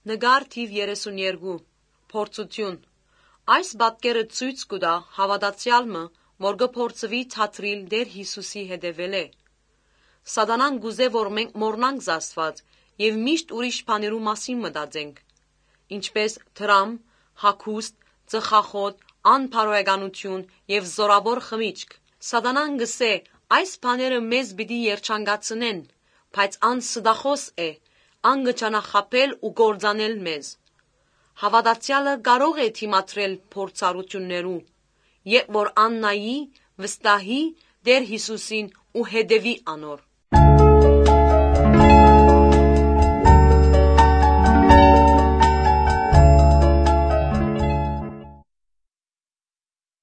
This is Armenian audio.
Նկար թիվ 32 Փորձություն Այս պատկերը ցույց կտա հավատացյալը, որ կփորձվի թատրիլ Տեր Հիսուսի հետևել է։ Սատանան կուզե, որ մենք մոռնանք Աստված եւ միշտ ուրիշ բաներու մասին մտածենք, ինչպես դրամ, հագուստ, ծխախոտ, անբարոյականություն եւ զորավոր խմիչք։ Սատանան կսե այս բաները մեզ պիտի երջանկացնեն, բայց ան ստախոս է, ան կճանախապել ու կործանել մեզ։ Հավատացյալը կարող է դիմադրել փորձառություններու, երբ որ ան նայի, վստահի Տեր Հիսուսին ու հետևի անոր։